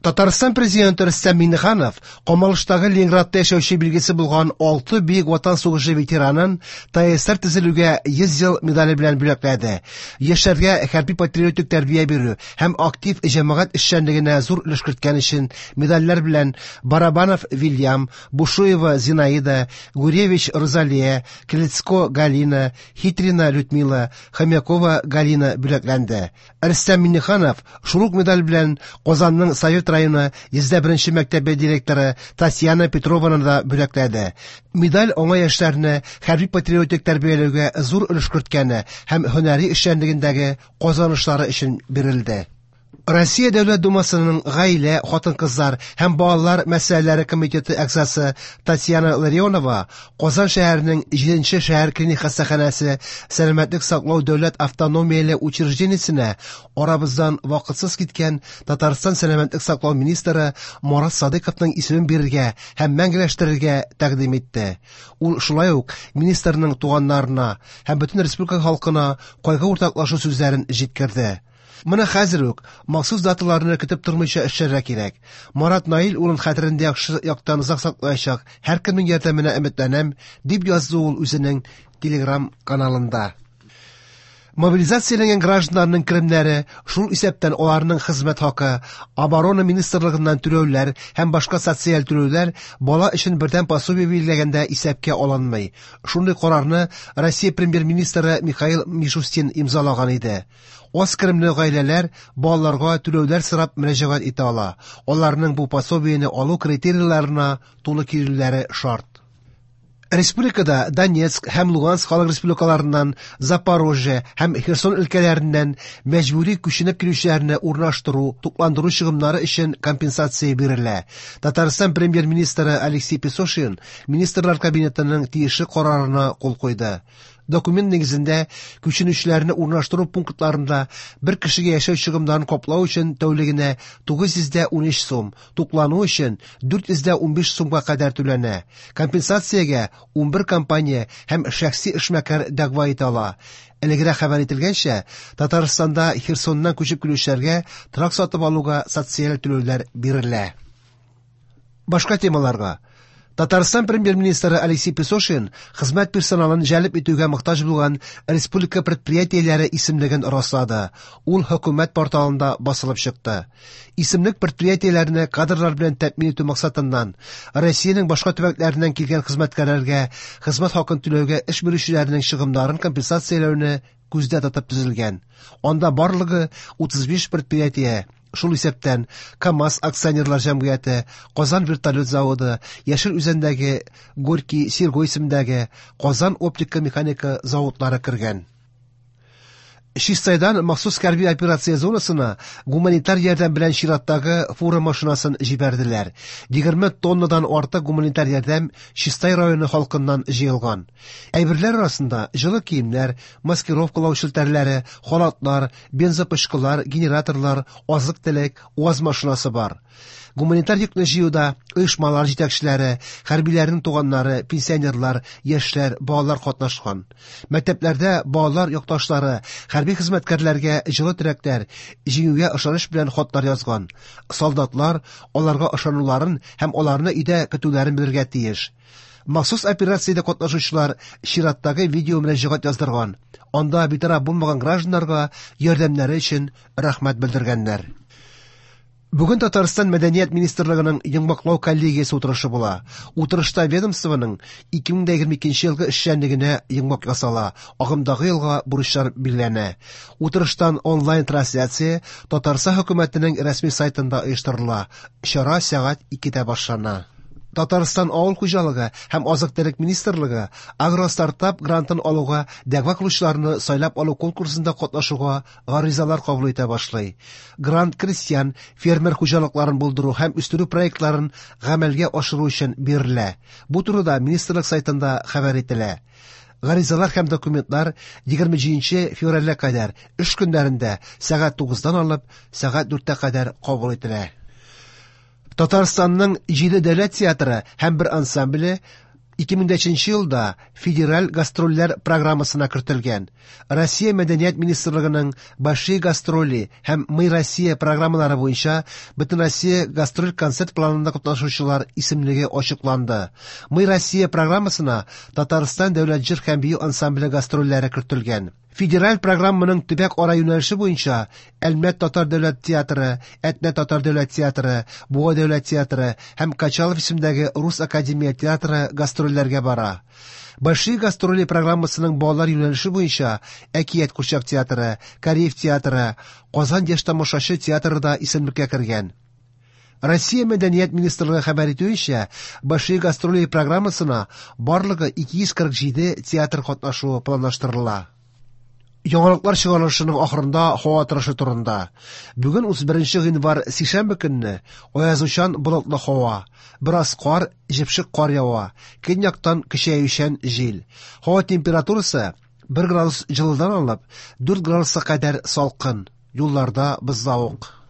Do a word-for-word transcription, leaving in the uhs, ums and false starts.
Татарстан президенты Рөстәм Миңнеханов камалыштагы Ленинградта яшәүче билгесе булган алты Бөек Ватан сугышы ветеранын Т А С С Р төзелүгә йөз ел медале белән бүләкләде. Яшьләргә хәрби патриотик тәрбия бирү һәм актив җәмәгать эшчәнлегенә зур өлеш керткән өчен медальләр белән Барабанов Вильям, Бушуева Зинаида, Гуревич Розалия, Клецко Галина, Хитрина Людмила, Хомякова Галина бүләкләнде. Рөстәм Миңнеханов шул ук медаль белән Казанның Совет районы йөз беренче мәктәбе директоры Татьяна Петрованы да бүләкләде. Медаль аңа яшьләрне хәрби патриотик тәрбияләүгә зур өлеш керткәне һәм һөнәри эшчәнлегендәге казанышлары өчен бирелде. Россия Дәүләт Думасының гаилә, хатын-кызлар һәм балалар мәсьәләләре комитеты әгъзасы Татьяна Ларионова Казан шәһәренең җиденче шәһәр клиник хастаханәсе сәламәтлек саклау дәүләт автономияле учреждениесенә арабыздан вакытсыз киткән Татарстан сәламәтлек саклау министры Марат Садыйковның исемен бирергә һәм мәңгеләштерергә тәкъдим итте. Ул шулай ук министрның туганнарына һәм бөтен республика халкына кайгы уртаклашу сүзләрен җиткерде. Моны хәзер үк, махсус даталарны көтеп тормыйча эшләргә кирәк. Марат Наил улын хәтерендә яхшы яктан озак саклаячак һәркемнең ярдәменә өметләнәм, дип язды ул үзенең Телеграм каналында. Мобилизацияләнгән гражданнарның керемнәре, шул исәптән аларның хезмәт хакы, оборона министрлыгыннан түләүләр һәм башка социаль түләүләр бала өчен бердәм пособие билгеләгәндә исәпкә алынмый. Шундый карарны Россия премьер-министры Михаил Мишустин имзалаган иде. Аз керемле гаиләләр балаларга түләүләр сорап мөрәҗәгать итә ала. Аларның бу пособиене алу критерийларына туры килүләре шарт. Республикада Донецк һәм Луганск халык республикаларыннан, Запорожье һәм Херсон өлкәләреннән мәҗбүри күченеп килүчеләрне урнаштыру, тукландыру чыгымнары өчен компенсация бирелә. Татарстан премьер-министры Алексей Песошин Министрлар Кабинетының тиешле карарына кул куйды. Документ нигезендә күченүчеләрне урнаштыру пунктларында бер кешегә яшәү чыгымнарын каплау өчен тәүлегенә тугыз йөз унөч сум, туклану өчен дүрт йөз унбиш сумга кадәр түләнә. Компенсациягә унбер компания һәм шәхси эшмәкәр дәгъва итә ала. Элегрәк хәбәр ителгәнчә, Татарстанда Херсоннан күчеп килүчеләргә торак сатып алуга социаль түләүләр бирелә. Башка темаларга. Татарстан премьер-министры Алексей Песошин хезмәт персоналын җәлеп итүгә мохтаҗ булган республика предприятиеләре исемлеген раслады. Ул хөкүмәт порталында басылып чыкты. Исемлек предприятиеләрне кадрлар белән тәэмин итү максатыннан Россиянең башка төбәкләреннән килгән хезмәткәрләргә хезмәт хакын түләүгә эш бирүчеләрнең чыгымнарын компенсацияләүне күздә тотып төзелгән. Анда барлыгы утыз биш предприятие, шул исәптән КАМАЗ акционерлар җәмгыяте, Казан вертолет заводы, Яшел Үзәндәге Горький Серго исемендәге, Казан оптика механика заводлары кергән. Чистайдан махсус хәрби операция зонасына гуманитар ярдәм белән чираттагы фура машинасын җибәрделәр. егерме тоннадан артык гуманитар ярдәм Чистай районы халкыннан җыелган. Әйберләр арасында җылы киемнәр, маскировкалау челтәрләре, халатлар, бензопычкылар, генераторлар, азык-төлек, УАЗ машинасы бар. Гуманитар йөкне җыюда оешмалар җитәкчеләре, хәрбиләрнең туганнары, пенсионерлар, яшьләр, балалар катнашкан. Мәктәпләрдә балалар якташлары хәрби хезмәткәрләргә җылы теләкләр, җиңүгә ышаныч белән хатлар язган. Солдатлар аларга ышануларын һәм аларны өйдә көтүләрен белергә тиеш. Махсус операциядә катнашучылар чираттагы видео мөрәҗәгать яздырган. Анда битараф булмаган гражданнарга ярдәмнәре өчен рәхмәт белдергәннәр. Бүген Татарстан Мәдәният министрлыгының йомгаклау коллегиясе утырышы була. Утырышта ведомствоның ике мең егерме икенче елгы эшчәнлегенә йомгак ясала, агымдагы елга бурычлар билгеләнә. Утырыштан онлайн трансляция Татарстан хөкүмәтенең рәсми сайтында оештырыла. Чара сәгать икедә башлана. Татарстан Авыл хуҗалыгы һәм азык-төлек министрлыгы агростартап грантын алуга дәгъва кылучыларны сайлап алу конкурсында катнашуга гаризалар кабул итә башлый. Грант крестьян, фермер хуҗалыкларын булдыру һәм үстерү проектларын гамәлгә ашыру өчен бирелә. Бу турыда министрлык сайтында хәбәр ителә. Гаризалар һәм документлар егерме җиденче февральгә кадәр эш көннәрендә сәгать тугыздан алып сәгать дүрткә кадәр кабул ителә. Татарстанның җиде дәүләт театры һәм бер ансамбле ике мең нче елда федераль гастрольләр программасына кертелгән. Россия Мәдәният министрлыгының Большие гастроли һәм Мы Россия программалары буенча Бөтенроссия гастроль концерт планында катнашучылар исемлеге ачыкланды. Мы Россия программасына Татарстан дәүләт җыр һәм бию ансамбле гастрольләре кертелгән. Федераль программаның төбәк ара юнәлеше буенча Әлмәт татар дәүләт театры, Әтнә татар дәүләт театры, Буа дәүләт театры һәм Качалов исемендәге Рус академия театры гастрольләргә бара. Большие гастроли программасының балалар юнәлеше буенча Әкият курчак театры, Кариев театры, Казан яшь тамашачы театры да исемлеккә кергән. Россия Мәдәният министрлыгы хәбәр итүенчә, Большие гастроли программасына барлыгы ике йөз кырык җиде театр катнашуы планлаштырыла. Яңалыклар чыгарылышының ахырында һава торышы турында. Бүген утыз беренче гыйнвар сишәмбе көнне аязучан болытлы һава, бераз кар, җепшек кар ява, көньяктан көчәючән җил. Һава температурасы бер градус җылыдан алып дүрт градуска кадәр салкын, юлларда бозлавык.